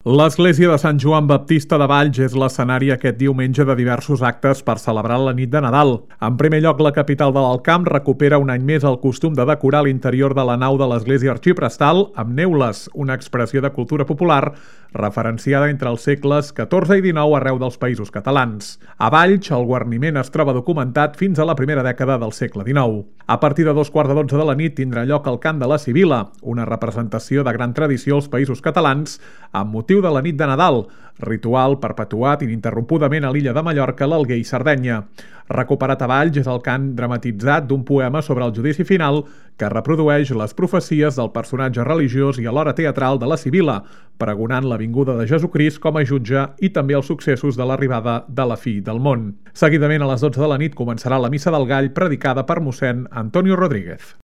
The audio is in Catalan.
L'església de Sant Joan Baptista de Valls és l'escenari aquest diumenge de diversos actes per celebrar la nit de Nadal. En primer lloc, la capital de l'Alt Camp recupera un any més el costum de decorar l'interior de la nau de l'església arxiprestal amb neules, una expressió de cultura popular referenciada entre els segles XIV i XIX arreu dels Països Catalans. A Valls, el guarniment es troba documentat fins a la primera dècada del segle XIX. A partir de 2:15 de la nit tindrà lloc el cant de la Sibila, una representació de gran tradició als Països Catalans amb motiu de la nit de Nadal, ritual perpetuat ininterrompudament a l'illa de Mallorca, l'Alguer i Sardenya. Recuperat a Valls és el cant dramatitzat d'un poema sobre el judici final que reprodueix les profecies del personatge religiós i alhora teatral de la Sibila, pregonant la vinguda de Jesucrist com a jutge i també els successos de l'arribada de la fi del món. Seguidament, a les 12 de la nit, començarà la Missa del Gall predicada per mossèn Antonio Rodríguez.